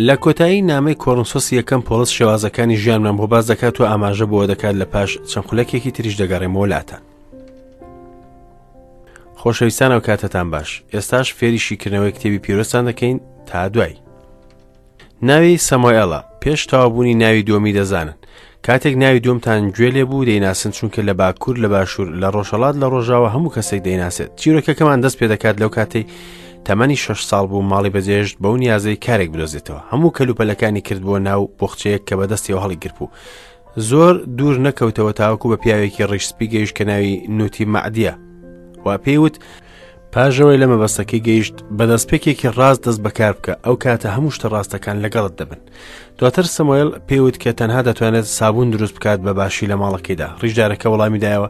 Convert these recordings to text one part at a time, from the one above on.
لە کۆتایی نامەی کۆرنسۆسی یەکەم پۆڵس شێوازەکانی ژیانمان بۆ باس دەکات و ئاماژە بۆ دەکات لە پاش چەند خولەکێکی تریش دەگەڕێمەوە لاتان. خۆشەویستان ئەو کاتەتان باش ئێستاش فێری شیکردنەوەی کتێبی پیرۆستان دەکەین تا دوای. ناوی سەمۆئێڵە پێش تەواوبوونی ناوی دووەمی دەزانن کاتێک ناوی دووەمتان گوێ لێ بوو دەیناسن چونکە لە باکوور لە باشوور لە ڕۆژهەڵات لە ڕۆژاوە هەموو کەسێک دەیناسێت چیرۆکەکەمان دەست پێ دەکات لەو کاتەی تەمەنی شەش ساڵ بوو ماڵی بەجێهێشت بەو نیازەی کارێک بدۆزێتەوە هەموو کەلوپەلەکانی کرد بۆ ناو بۆخچەیەک کە بەدەستیەوە هەڵیگرت بوو زۆر دوور نەکەوتەوە تاوەکو بە پیاوێکی ڕیش سپی گەیشت کە ناوی نوتی مەعدیە و پێی وت پاش ئەوەی لە مەبەستەکەی گەیشت، بە دەستپێکێکی ڕاست دەست بەکار بکە، ئەو کاتە هەموو شتە ڕاستەکان لەگەڵت دەبن. دواتر سەمۆێل پێی وت کە تەنها دەتوانێت سابوون دروست بکات بە باشی لە ماڵەکەیدا. ڕیشدارەکە وەڵامی دایەوە،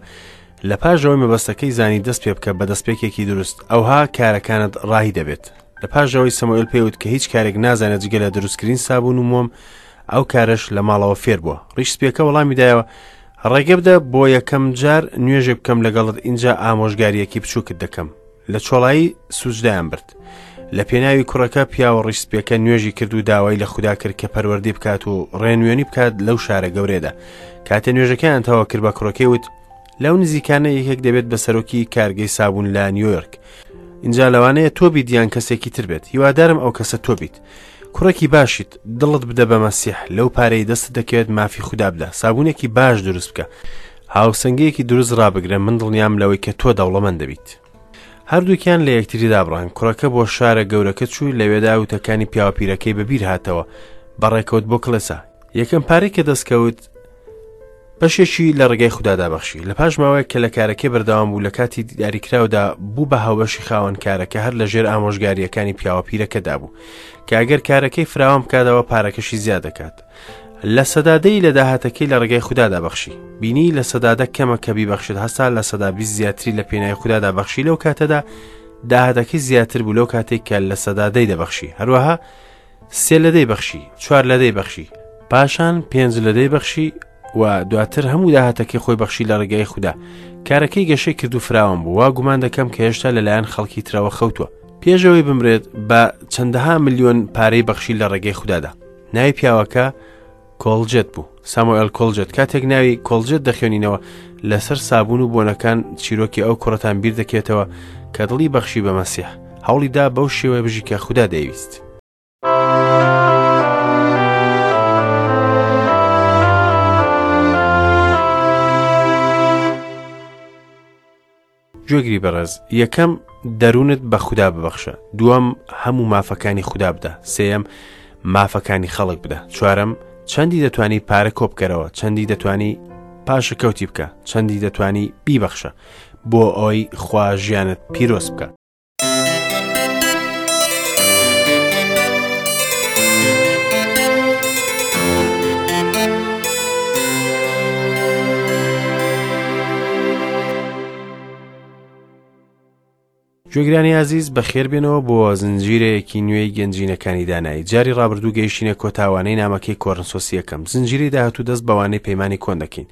لە پاش ئەوەی مەبەستەکەی زانی دەست پێ بکە بە دەستپێکێکی دروست، ئەوها کارەکانت ڕاهی دەبێت. لە پاش ئەوەی سەمۆئێل پێی وت کە هیچ کارێک نازانێت جگە لە دروستکردنی سابوون و مۆم، ئەو کارەش لە ماڵەوە فێر بووە. ڕیش سپییەکە وەڵامی دایەوە، ڕێگە بدە بۆ یەکەم جار نوێژێک بکەم لەگەڵت ئینجا ئامۆژگارییەکی بچووکت دەکەم. لە چۆڵایی سوجدایان برد. لە پێناوی کوڕەکە پیاوە ڕیش سپییەکە نوێژی کرد و داوای لە خودا کرد کە پەروەردەی بکات و ڕێنوێنی بکات لەو شارە گەورەیەدا. کاتێ نوێژەکەیان تەواو کرد بە کوڕەکەی وت، لەو نزیکانە یەکێک دەبێت بە سەرۆکی کارگەی سابوون لە نیویۆرک. ئینجا لەوانەیە تۆ بیت یان کەسێکی تر بێت. هیوادارم ئەو کەسە تۆ بیت. کوڕێکی باشیت، دڵت بدە بە مەسیح، لەو پارەی دەستت دەکەوێت مافی خودا بدە، سابوونێکی باش دروست بکە، هاوسەنگییەکی دروست ڕابگرە، من دڵنیام لەوەی کە تۆ دەوڵەمەند دەبیت. هەردووکیان لە یەکتری دابڕان، کوڕەکە بۆ شارە گەورەکە چوو، لەوێدا وتەکانی پیاوە پیرەکەی بەبیر هاتەوە، بەڕێکەوت بۆ کڵێسا. یەکەم پارەی کە دەستکەوت، بەشێکی لە ڕێگای خودادا بەخشی. لە پاش ماوەیەک کە لە کارەکەی بەردەوام بوو، لە کاتی دیاریکراودا بوو بە هاوبەشی خاوەن کارەکە هەر لە ژێر ئامۆژگارییەکانی پیاوە پیرەکەدا بوو کە ئەگەر کارەکەی فراوان بکاتەوە پارەکەشی زیاد دەکات. 10% لە داهاتەکەی لە ڕێگای خودادا بەخشی. بینی 10% کەمە کە بیبەخشێت هەستا 20% زیاتری لە پێناوی خودادا بەخشی لەو کاتەدا داهاتەکەی زیاتر بوو لەو کاتێک کە 10% دەبەخشی. هەروەها 3% بەخشی، 4% بەخشی، پاشان 5% بەخشی و دواتر هەموو داهاتەکەی خۆی بەخشی لە ڕێگای خودا. کارەکەی گەشەی کرد و فراوان بوو، وا گومان دەکەم کە هێشتا لەلایەن خەڵکی ترەوە خەوتووە. پێش ئەوەی بمرێت بە چەندەها ملیۆن پارەی بەخشی لە ڕێگەی خودادا. ناوی پیاوەکە کۆڵجێت بوو، ساموئێل کۆڵجێت. کاتێک ناوی کۆڵجێت دەخوێنینەوە لەسەر سابوون و بۆنەکان چیرۆکی ئەو کوڕەتان بیر دەکێتەوە کە دڵی بەخشی بە مەسیح. هەوڵی دا بەو شێوەیە بژی کە خودا دەیویست. گوێگری بەڕێز، یەکەم، دەروونت بە خودا ببەخشە. دووەم، هەموو مافەکانی خودا بدە. سێیەم، مافەکانی خەڵک بدە. چوارەم، چەندی دەتوانی پارە کۆبکەرەوە، چەندی دەتوانی پاشەکەوتی بکە، چەندی دەتوانی بیبەخشە، بۆ ئەوەی خوا ژیانت پیرۆز بکە. گوێگرانی ئازیز بەخێربێنەوە بۆ زنجیرەیەکی نوێی گەنجینەکانی دانایی جاری ڕابردوو گەیشتینە کۆتاوانەی نامەکەی کۆرنسۆسی یەکەم زنجیرەی داهاتوو دەست بەوانەی پەیمانی کۆن دەکەین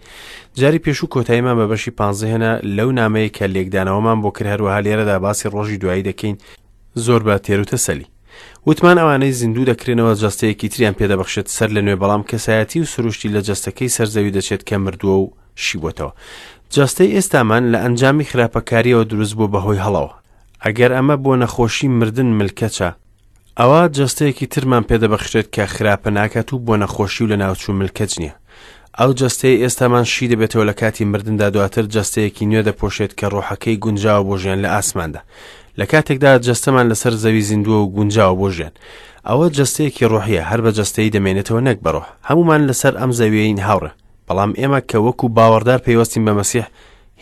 جاری پێشوو کۆتاییمان بە بەشی پانزە هێنا لەو نامەیە کە لێکدانەوەمان بۆ کرد هەروەها لێرەدا باسی ڕۆژی دوایی دەکەین زۆر بە تێروتەسەلی وتمان ئەوانەی زیندوو دەکرێنەوە جەستەیەکی تریان پێدەبەخشێت سەر لە نوێ بەڵام کەسایەتی و سروشتی لە جەستەکەی سەر زەوی دەچێت کە مردووە و شیبووەتەوە جەستەی ئێستامان لە ئەنجامی خراپەکاریەوە دروست بووە بەهۆی هەڵەوە ئەگەر ئەمە بۆ نەخۆشی مردن ملکەچە ئەوا جەستەیەکی ترمان پێدەبەخشرێت کە خراپە ناکات و بۆ نەخۆشی و لەناوچوون ملکەچ نییە. ئەو جەستەیەی ئێستامان شی دەبێتەوە لە کاتی مردندا دواتر جەستەیەکی نوێ دەپۆشێت کە ڕۆحەکەی گونجاوە بۆ ژیان لە ئاسماندا. لە کاتێکدا جەستەمان لەسەر زەوی زیندووە و گونجاوە بۆ ژیان. ئەوە جەستەیەکی ڕۆحیە، هەر بە جەستەیی دەمێنێتەوە نەک بە ڕۆح. هەموومان لەسەر ئەم زەویەین هاوڕێ. بەڵام ئێمە کە وەکو باوەڕدار پەیوەستین بە مەسیح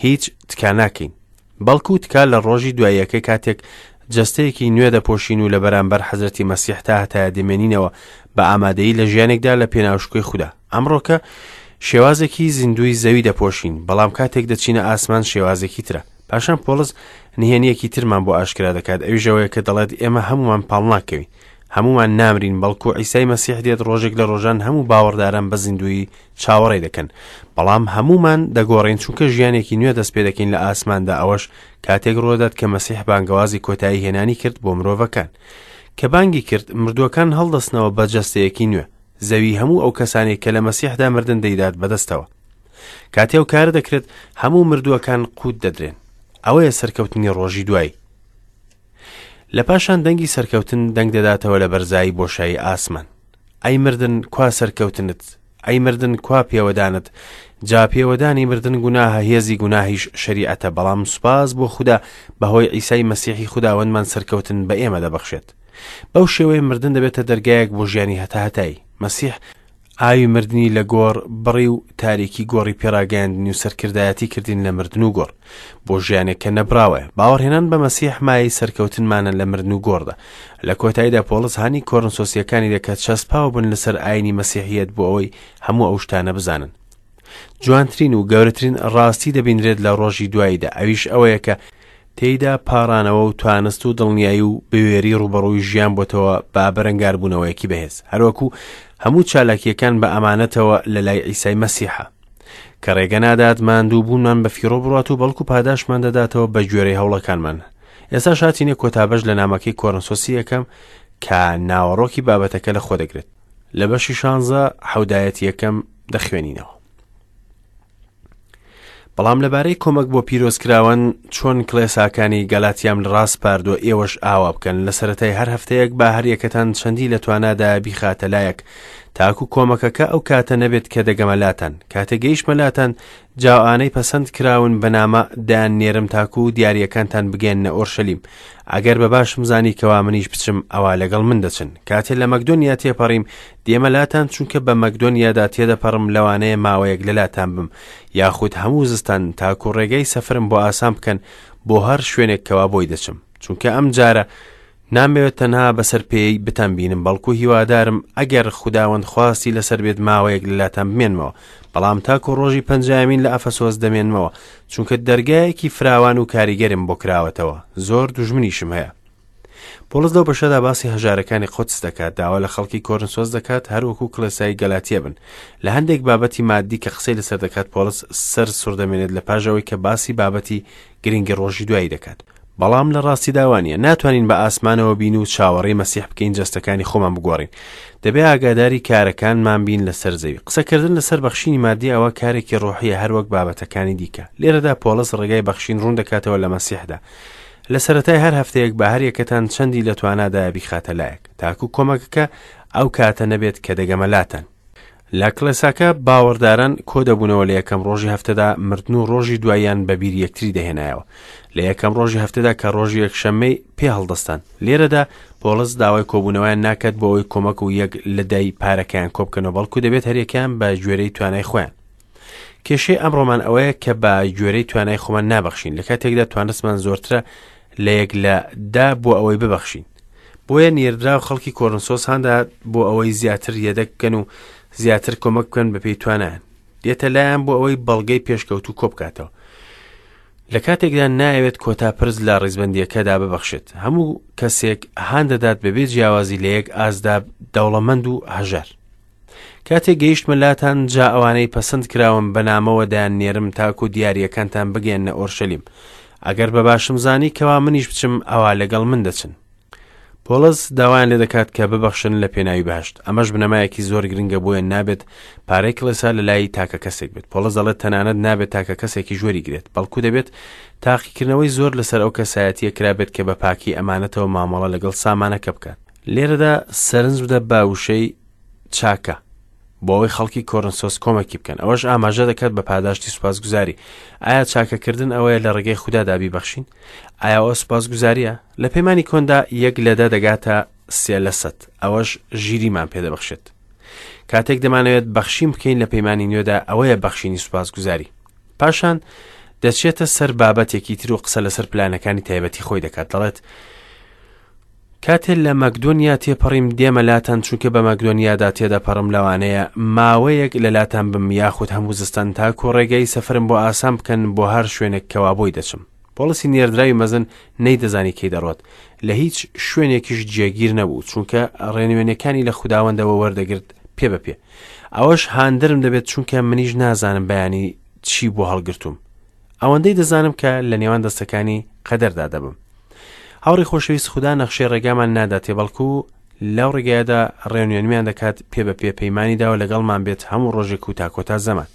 هیچ تکا ناکەین. بەڵکو تکا لە ڕۆژی دواییەکەی کاتێک جەستەیەکی نوێ دەپۆشین و لە بەرامبەر حەزرەتی مەسیح تا هەتایە دەمێنینەوە بە ئامادەیی لە ژیانێکدا لە پێناو شکۆی خودا. ئەمڕۆکە شێوازێکی زیندووی زەوی دەپۆشین، بەڵام کاتێک دەچینە ئاسمان شێوازێکی ترە. پاشان پۆڵس نهێنییەکی ترمان بۆ ئاشکرا دەکات، ئەویش ئەوەیە کە دەڵێت ئێمە هەموومان پاڵناکەوین. هەموومان نامرین، بەڵکو عیسای مەسیح دێت ڕۆژێک لە ڕۆژان هەموو باوەڕداران بە زیندوویی چاوەڕێی دەکەن، بەڵام هەموومان دەگۆڕین چونکە ژیانێکی نوێ دەست پێدەکەین لە ئاسماندا ئەوەش کاتێک ڕوودەدات کە مەسیح بانگەوازی کۆتایی هێنانی کرد بۆ مرۆڤەکان. کە بانگی کرد، مردووەکان هەڵدەستنەوە بە جەستەیەکی نوێ. زەوی هەموو ئەو کەسانەی کە لە مەسیحدا مردن دەیدات بەدەستەوە. کاتێ ئەو کارە دەکرێت، هەموو مردووەکان قووت دەدرێن. ئەوەیە سەرکەوتنی ڕۆژی دوایی. لە پاشان دەنگی سەرکەوتن دەنگ دەداتەوە لە بەرزایی بۆشایی ئاسمان. ئەی مردن کوا سەرکەوتنت؟ ئەی مردن کوا پێوەدانت؟ جا پێوەدانی مردن گوناهە هێزی گوناهیش شەریعەتە بەڵام سوپاس بۆ خودا بەهۆی عیسای مەسیحی خوداوەندمان سەرکەوتن بە ئێمە دەبەخشێت. بەو شێوەیە مردن دەبێتە دەرگایەک بۆ ژیانی هەتاهەتایی. مەسیح ئاوی مردنی لە گۆڕ بڕی و تاریکی گۆڕی پێڕاگەیاندنی و سەرکردایەتی کردین لە مردن و گۆڕ بۆ ژیانێک کە نەبراوەیە. باوەڕهێنان بە مەسیح مایەی سەرکەوتنمانە لە مردن و گۆڕدا. لە کۆتاییدا پۆڵس هانی کۆرنسۆسییەکانی دا کە چەسپاو بن لەسەر ئاینی مەسیحییەت بۆ ئەوەی هەموو ئەو شتانە بزانن. جوانترین و گەورەترین ڕاستی دەبینرێت لە ڕۆژی دواییدا ئەویش ئەوەیە کە تێیدا پاڕانەوە و توانست و دڵنیایی و بوێری ڕووبەڕووی ژیان بۆتەوە بە بەرەنگاربوونەوەیەکی بەهێز هەروەکو هەموو چالاکییەکان بە ئەمانەتەوە لە لای عیسای مەسیحە کە ڕێگە نادات ماندوو بوونمان بە فیڕۆ بڕات و بەڵکو پاداشمان دەداتەوە بە گوێرەی هەوڵەکانمان ئێستا شاتینە کۆتا بەش لە نامەکەی کۆرنسۆسی یەکەم کە ناوەڕۆکی بابەتەکە لە خۆ دەگرێت لە بەشی شانزە حەودایەت یەکەم دەخوێنینەوە. بەڵام لەبارەی کۆمەک بۆ پیرۆزکراوان چۆن کڵێساکانی گەلاتیام لە ڕاسپاردووە ئێوەش ئاوا بکەن لە سەرەتای هەر هەفتەیەک با هەریەکەتان چەندی لە توانادا بیخاتە لایەک تاکو کۆمەکەکە ئەو کاتە نەبێت کە دەگەمە لاتان کاتێ گەیشتمە لاتان جا ئەوانەی پەسەند کراون بە نامە دەیان نێرم تاکو دیاریەکانتان بگەیەننە ئۆرشەلیم ئەگەر بە باشم زانی کەوا منیش بچم ئەوا لەگەڵ من دەچن کاتێ لە مەکدۆنیا تێپەڕیم دێمە لاتان چونکە بە مەکدۆنیادا تێدەپەڕم لەوانەیە ماوەیەک لەلاتان بم یاخود هەموو زستان تاکو ڕێگەی سەفرم بۆ ئاسان بکەن بۆ هەر شوێنێک کەوا بۆی دەچم چونکە ئەم جارە نامەوێت تەنها بەسەر پێی بتان بینم بەڵکو هیوادارم ئەگەر خوداوەند خواستی لەسەر بێت ماوەیەک لەلاتان بمێنمەوە بەڵام تاکو ڕۆژی پەنجایەمین لە ئەفەسۆس دەمێنمەوە چونکە دەرگایەکی فراوان و کاریگەرم بۆ کراوەتەوە زۆر دوژمنیشم هەیە پۆڵس لەو بەشەدا باسی هەژارەکانی قودس دەکات داوا لە خەڵکی کۆرنسۆس دەکات هەروەکو کڵێسای گەلاتیە بن لە هەندێک بابەتی مادی کە قسەی لەسەر دەکات پۆڵس سەر سوڕدەمێنێت لە پاش ئەوەی کە باسی بابەتی گرنگی ڕۆژی دوایی دەکات بەڵام لە ڕاستیدا وانیە ناتوانین بە ئاسمانەوە بین و چاوەڕێی مەسیح بکەین جەستەکانی خۆمان بگۆڕین دەبێ ئاگاداری کارەکانمان بین لەسەر زەوی قسەکردن لەسەر بەخشینی مادی ئەوە کارێکی ڕۆحیە هەروەک بابەتەکانی دیکە لێرەدا پۆڵس ڕێگای بەخشین ڕوون دەکاتەوە لە مەسیحدا لە سەرەتای هەر هەفتەیەک بە هەر یەکەتان چەندی لە توانادایە بیخاتە لایەک تاکو کۆمەکەکە ئەو کاتە نەبێت کە دەگەمە لاتان لە کڵێساکە باوەڕداران کۆدەبوونەوە لە یەکەم ڕۆژی هەفتەدا مردن و ڕۆژی دواییان بە بیر یەکتری دەهێنایەوە لە یەکەم ڕۆژی هەفتەدا کە ڕۆژی یەکشەممەی پێ هەڵدەستان لێرەدا پۆڵس داوای کۆبوونەوەیان ناکات بۆ ئەوەی کۆمەک و یەک لە دای پارەکەیان کۆبکەنەوە بەڵکو دەبێت هەریەکەیان بە گوێرەی توانای خۆیان کێشەی ئەمڕۆمان ئەوەیە کە بە گوێرەی توانای خۆمان نابەخشین لە کاتێکدا توانستمان زۆرترە لە یەک لە دا بۆ ئەوەی ببەخشین بۆیە نێردراو خەڵکی کۆرنسۆس هاندا بۆ ئەوەی زیاتر یەدەک بکەن و زیاتر کۆمەک بکەن بەپێی توانایان دێتە لایەن بۆ ئەوەی بەڵگەی پێشکەوتوو کۆبکاتەوە لە کاتێکدا نایەوێت کۆتا پرس لە ڕیزبندیەکەدا ببەخشێت هەموو کەسێک هان دەدات بەبێ جیاوازی لە یەک ئازدا دەوڵەمەند و هەژار کاتێک گەیشتمە لاتان جا ئەوانەی پەسند کراون بە نامەوە دەیان نێرم تاکو دیاریەکانتان بگەیەننە ئۆرشەلیم ئەگەر بە باشم زانی کەوا منیش بچم ئەوا لەگەڵ من دەچن پۆڵس داوایان لێ دەکات کە ببەخشن لە پێناوی بەهشت ئەمەش بنەمایەکی زۆر گرنگە بۆیە نابێت پارەی کڵێسا لە لای تاکە کەسێک بێت پۆڵس دەڵێت تەنانەت نابێت تاکە کەسێکی ژوەری گرێت بەڵکو دەبێت تاقیکردنەوەی زۆر لەسەر ئەو کەسایەتیە کرابێت کە بە پاکی ئەمانەتەوە مامەڵە لەگەڵ سامانەکە بکات لێرەدا سەرنج بدە بە وشەی چاکە بۆ ئەوەی خەڵکی کۆرنسۆس کۆمەکی بکەن ئەوەش ئاماژە دەکات بە پاداشتی سوپاسگوزاری ئایا چاکەکردن ئەوەیە لە ڕێگەی خودادا بیبەخشین ئایا ئەوە سوپاسگوزاریە لە پەیمانی کۆندا یەک لە دە دەگاتە سێ لە سەد ئەوەش ژیریمان پێدەبەخشێت کاتێک دەمانەوێت بەخشین بکەین لە پەیمانی نوێدا ئەوەیە بەخشینی سوپاسگوزاری پاشان دەچێتە سەر بابەتێکی تر و قسە لەسەر پلانەکانی تایبەتی خۆی دەکات دەڵێت کاتێ لە مەکدۆنیا تێپەڕیم دێمە لاتان چونکە بە مەکدۆنیادا تێدەپەڕم لەوانەیە ماوەیەک لە لاتان بم یاخود هەموو زستان تاکو ڕێگەی سەفرم بۆ ئاسان بکەن بۆ هەر شوێنێک کەوا بۆی دەچم پۆڵسی نێردراوی مەزن نەیدەزانی کەی دەڕۆت لە هیچ شوێنێکیش جێگیر نەبوو چونکە ڕێنوێنەکانی لە خوداوەندەوە وەردەگرت پێ بە پێ ئەوەش هاندەرم دەبێت چونکە منیش نازانم بەیانی چی بۆ هەڵگرتوم ئەوەندەی دەزانم کە لە نێوان دەستەکانی قەدەردا دەبم. هاوڕێی خۆشەویست خودا نەخشەی ڕێگامان ناداتێ بەڵکو لەو ڕێگایەدا ڕێنوێنیمان دەکات پێ بە پێ پەیمانی داوە لەگەڵمان بێت هەموو ڕۆژێک و تا کۆتا زەمان.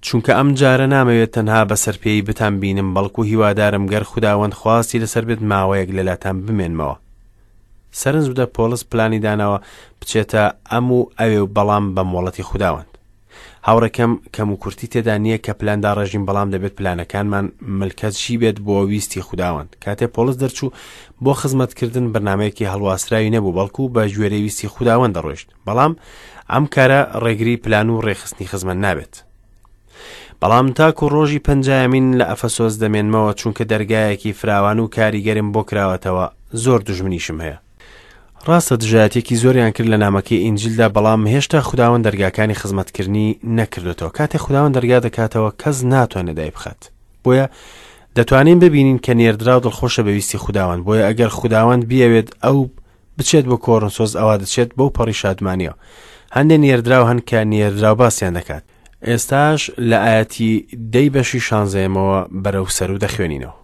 چونکە ئەم جارە نامەوێت تەنها بەسەر پێی بتان بینم بەڵکو هیوادارم گەر خوداوەند خواستی لەسەر بێت ماوەیەک لەلاتان بمێنمەوە. سەرنج بدە پۆڵس پلانی داناوە بچێتە ئەم و ئەوێ و بەڵام بە مۆڵەتی خوداوەند. هاوڕێکەم کەم و کورتی تێدا نییە کە پلان داڕێژین بەڵام دەبێت پلانەکانمان ملکەچی بێت بۆ ویستی خوداوەند. کاتێ پۆڵس دەرچوو بۆ خزمەتکردن بەرنامەیەکی هەڵواسراوی نەبوو بەڵکو بە گوێرەی ویستی خوداوەند دەڕۆیشت. بەڵام ئەم کارە ڕێگری پلان و ڕێکخستنی خزمەت نابێت. بەڵام تاکو ڕۆژی پەنجایەمین لە ئەفەسۆس دەمێنمەوە چونکە دەرگایەکی فراوان و کاریگەرم بۆ کراوەتەوە زۆر دوژمنیشم هەیە. ڕاستە دژایەتێکی زۆریان کرد لە نامەکەی ئینجیلدا بەڵام هێشتا خوداوەند دەرگاکانی خزمەتکردنی نەکردوێتەوە کاتێ خوداوەند دەرگا دەکاتەوە کەس ناتوانێت دایبخات بۆیە دەتوانین ببینین کە نێردراو دڵخۆشە بەویستی خوداوەند بۆیە ئەگەر خوداوەند بیەوێت ئەو بچێت بۆ کۆرنسۆس ئەوا دەچێت بەو پەڕی شادمانیەوە. هەندێ نێردراو هەن کە نێردراو باسیان دەکات. ئێستاش لە ئایەتی دەی بەشی شانزەیەمەوە بەرەو سەرو دەخوێنینەوە.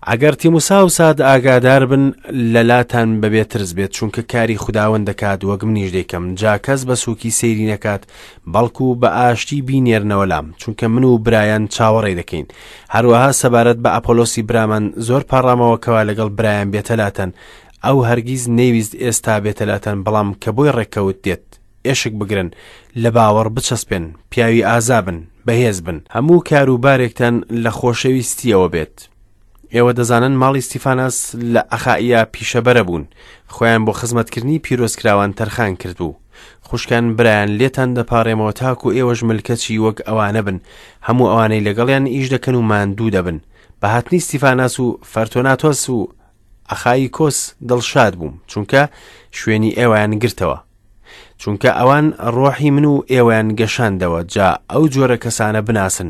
ئەگەر تیموساوساد ئاگادار بن لەلاتان بەبێ ترس بێت چونکە کاری خوداوەند دەکات وەک منیش دەیکەم جا کەس بە سوکی سەیری نەکات بەڵکو بە ئاشتی بینێرنەوە لام چونکە من و برایان چاوەڕێی دەکەین هەروەها سەبارەت بە ئەپۆلۆسی برامان زۆر پاڕامەوە کەوا لەگەڵ برایان بێتە لاتان ئەو هەرگیز نەیویست ئێستا بێتە لاتان بەڵام کە بۆی ڕێککەوت دێت ئێشک بگرن لە باوەڕ بچەسپێن پیاوی ئازا بن بەهێز بن هەموو کار و بارێکتان لە خۆشەویستیەوە بێت ئێوە دەزانن ماڵی ستیفاناس لە ئەخائیا پیشەبەرە بوون، خۆیان بۆ خزمەتکردنی پیرۆزکراوان تەرخان کردبوو. خوشکان برایان لێتان دەپاڕێمەوە تاکو ئێوەش ملکەچی وەک ئەوانە بن، هەموو ئەوانەی لەگەڵیان ئیش دەکەن و ماندوو دەبن. بە هاتنی ستیفاناس و فەرتۆناتۆس و ئەخاییکۆس دڵشاد بووم، چونکە شوێنی ئێوەیان گرتەوە. چونکە ئەوان ڕۆحی من و ئێوەیان گەشاندەوە، جا ئەو جۆرە کەسانە بناسن.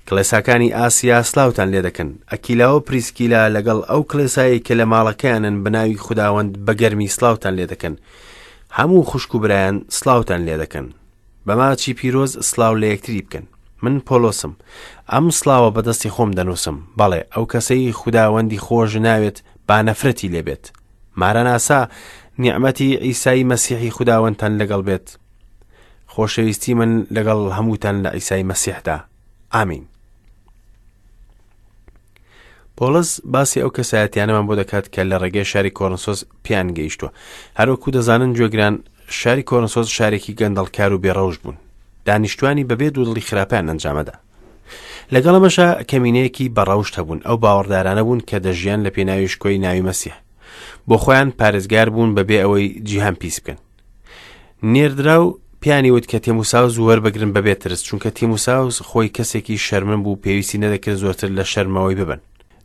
کڵێساکانی ئاسیا سلاوتان لێ دەکەن. ئەکیلا و پریسکیلا لەگەڵ ئەو کڵێسایەی کە لە ماڵەکەیانن بە ناوی خوداوەند بە گەرمی سلاوتان لێ دەکەن. هەموو خوشک و برایان سلاوتان لێ دەکەن. بە ماچی پیرۆز سلاو لە یەکتری بکەن. من پۆلۆسم. ئەم سلاوە بە دەستی خۆم دەنووسم. بەڵێ، ئەو کەسەی خوداوەندی خۆش ناوێت با نەفرەتی لێ بێت. ماراناسا، نیعمەتی عیسای مەسیحی خوداوەندتان لەگەڵ بێت. خۆشەویستی من لەگەڵ هەمووتان لە عیسای مەسیحدا. ئامین. پۆڵس باسی ئەو کەسایەتیانەمان بۆ دەکات کە لە ڕێگەی شاری کۆرنسۆس پیان گەیشتووە هەروەکو دەزانن گوێگران شاری کۆرنسۆس شارێکی گەندەڵکار و بێڕەوش بوون دانیشتوانی بەبێ دوودڵی خراپیان ئەنجامەدا لەگەڵ ئەمەشا کەمینەیەکی بەڕەوشت هەبوون ئەو باوەڕدارانە بوون کە دەژیان لە پێناوی شکۆی ناوی مەسیح بۆ خۆیان پارێزگار بوون بەبێ ئەوەی جیهان پیس بکەن نێردراو پیانی وت کە تێموساوس وەربگرن بەبێ ترس چونکە تیموساوس خۆی کەسێکی شەرمن بوو پێویستی نەدەکرد زۆرتر لە شەرمەوەی ببن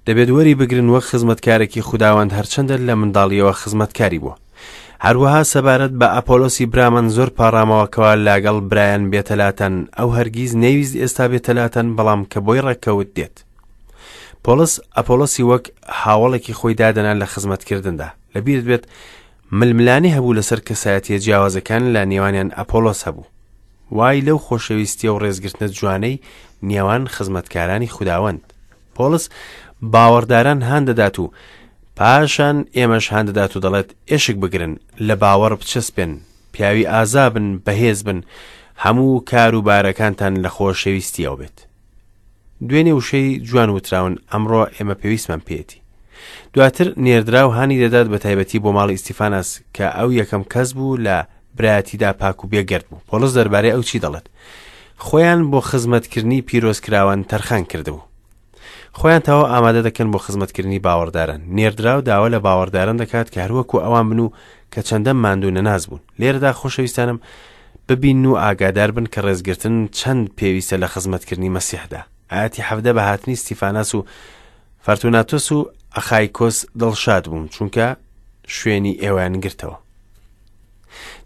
دەبێت وەری بگرن وەک خزمەتکارێکی خوداوەند هەرچەندە لە منداڵیەوە خزمەتکاری بووە. هەروەها سەبارەت بە ئەپۆلۆسی برامان زۆر پاڕامەوە کەوا لاگەڵ برایان بێتە لاتان، ئەو هەرگیز نەیویست ئێستا بێتە لاتان، بەڵام کە بۆی ڕێککەوت دێت. پۆڵس ئەپۆلۆسی وەک هاوەڵێکی خۆی دادەنا لە خزمەتکردندا. لەبیرت بێت ململانێ هەبوو لەسەر کەسایەتیە جیاوازەکان لە نێوانیان ئەپۆلۆس هەبوو. وای لەو خۆشەویستیە و ڕێزگرتنە جوانەی نێوان خزمەتکارانی خوداوەند. پۆڵس باوەڕداران هان دەدات و پاشان ئێمەش هان دەدات و دەڵێت ئێشک بگرن، لە باوەڕ بچەسپێن، پیاوی ئازا بن، بەهێز بن، هەموو کار و بارەکانتان لە خۆشەویستیەوە بێت. دوێنێ وشەی جوان وتراون، ئەمڕۆ ئێمە پێویستمان پێیەتی. دواتر نێردراو هانی دەدات بە تایبەتی بۆ ماڵی ئیستیفاناس کە ئەو یەکەم کەس بوو لە برایەتیدا پاک و بێگەرد بوو. پۆڵس دەربارەی ئەو چی دەڵێت؟ خۆیان بۆ خزمەتکردنی پیرۆزکراوان تەرخان کردبوو. خۆیان تەواو ئامادە دەکەن بۆ خزمەتکردنی باوەڕداران. نێردراو داوا لە باوەڕداران دەکات کە هەروەکو ئەوان بن و کە چەندە ماندوو نەناس بوون. لێرەدا خۆشەویستانم ببین و ئاگادار بن کە ڕێزگرتن چەند پێویستە لە خزمەتکردنی مەسیحدا. ئایەتی 17 بە هاتنی ستیفاناس و فەرتوناتۆس و ئەخایکۆس دڵشاد بووم چونکە شوێنی ئێوەیان گرتەوە.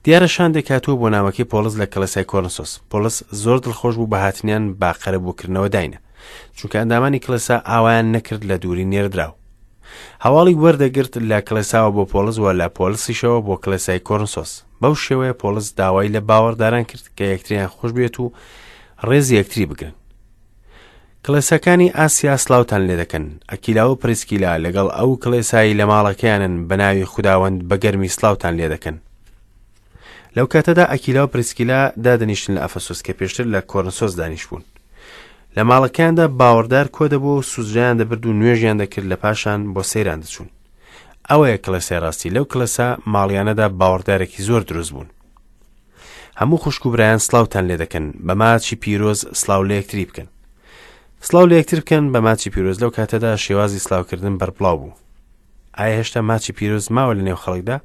دیارە شاندێک هاتووە بۆ نامەکەی پۆڵس لە کڵێسای کۆرنسۆس. پۆڵس زۆر دڵخۆش بوو بە هاتنیان بە قەرەبووکردنەوە داینە. چونکە ئەندامانی کڵێسا ئاوایان نەکرد لە دووری نێردراو. هەواڵی وەردەگرت لە کڵێساوە بۆ پۆڵس و لە پۆڵسیشەوە بۆ کڵێسای کۆرنسۆس. بەو شێوەیە پۆڵس داوای لە باوەڕداران کرد کە یەکتریان خۆش بوێت و ڕێزی یەکتری بگرن. کڵێساکانی ئاسیا سڵاوتان لێ دەکەن. ئەکیلا و پریسکیلا لەگەڵ ئەو کڵێسای لە ماڵەکەیانن بە ناوی خوداوەند بە گەرمی سڵاوتان لێ دەکەن. لەو کاتەدا ئەکیلا و پریسکیلا دادەنیشتن لە ئەفەسۆس کە پێشتر لە کۆرنسۆس دانیشتبوون. لە ماڵەکەیاندا باوەڕدار کۆ دەبوو و سوزرایان دەبرد و نوێژیان دەکرد لە پاشان بۆ سەیران دەچوون. ئەوەیە کڵێسای ڕاستی لەو کڵێسا ماڵیانەدا باوەڕدارێکی زۆر دروست بوون. هەموو خوشک و برایان سڵاوتان لێ دەکەن بە ماچی پیرۆز سڵاو لە یەکتری بکەن سڵاو لە یەکتر بکەن بە ماچی پیرۆز لەو کاتەدا شێوازی سڵاوکردن بەربڵاو بوو ئایا هێشتا ماچی پیرۆز ماوە لە نێو خەڵکدا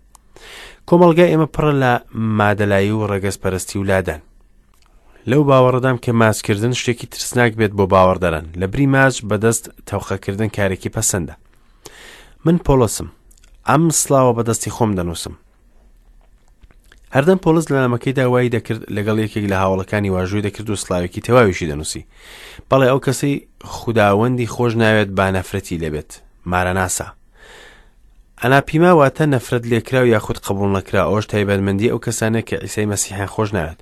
کۆمەڵگای ئێمە پڕە لە مادەلایی و ڕەگەزپەرستی و لادان لەو باوەڕدام کە ماچکردن شتێکی ترسناک بێت بۆ باوەڕداران لە بری ماچ بەدەست تەوقەکردن کارێکی پەسەندە من پۆڵسم ئەم سڵاوە بەدەستی خۆم دەنووسم هەردەم پۆڵس لە نامەکەیدا وای دەکرد لەگەڵ یەکێک لە هاوڵەکانی واژووی دەکرد و سڵاوێکی تەواویشی دەنووسی بەڵێ ئەو کەسەی خوداوەندی خۆش ناوێت با نەفرەتی لێبێت مارەناسا ئەناپیما واتە نەفرەت لێکراو یاخود قبول نەکرا ئەوش تایبەتمەندی ئەو کەسانە کە ئیسای مەسیحیان خۆش ناوێت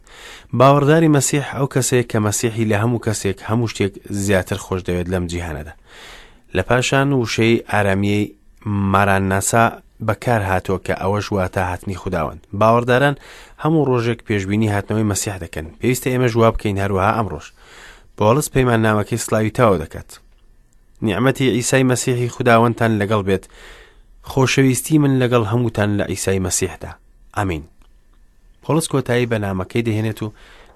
باوەڕداری مەسیح ئەو کەسەیە کە مەسیحی لە هەموو کەسێک هەموو شتێک زیاتر خۆش دەوێت لەم جیهانەدا لە پاشان وشەی ئارامیەی مارانناسا بەکار هاتووە کە ئەوەش واتە هاتنی خوداوەند. باوەڕداران هەموو ڕۆژێک پێشبینی هاتنەوەی مەسیح دەکەن. پێویستە ئێمەش وا بکەین هەروەها ئەمڕۆش. پۆڵس پەیماننامەکەی سڵاوی تەواو دەکات. نیعمەتی عیسای مەسیحی خوداوەندتان لەگەڵ بێت. خۆشەویستی من لەگەڵ هەمووتان لە عیسای مەسیحدا. ئامین. پۆڵس کۆتایی بە نامەکەی دەهێنێت و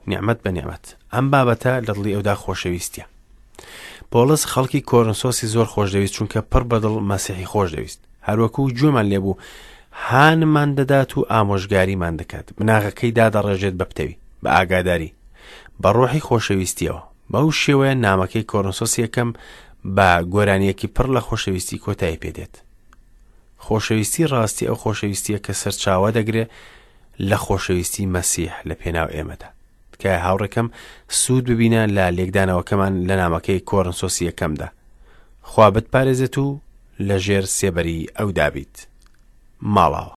نیعمەت بە نیعمەت. ئەم بابەتە لە دڵی ئەودا خۆشەویستیە. پۆڵس خەڵکی کۆرنسۆسی زۆر خۆشدەویست چونکە پڕ بەدڵ مەسیحی خۆشدەویست. هەروەکو گوێمان لێبوو هانمان دەدات و ئامۆژگاریمان دەکات بناغەکەی دادەڕێژێت بە پتەوی بە ئاگاداری بە ڕۆحی خۆشەویستیەوە بەو شێوەیە نامەکەی کۆرنسۆس یەکەم بە گۆرانیەکی پڕ لە خۆشەویستی کۆتایی پێدێت خۆشەویستی ڕاستی ئەو خۆشەویستیە کە سەرچاوە دەگرێ لە خۆشەویستی مەسیح لە پێناو ئێمەدا تکایە هاوڕێکەم سوود ببینە لە لێکدانەوەکەمان لە نامەکەی کۆرنسۆسی یەکەمدا خوا بتپارێزێت و لە ژێر سێبەری ئەودا بیت. ماڵاوا.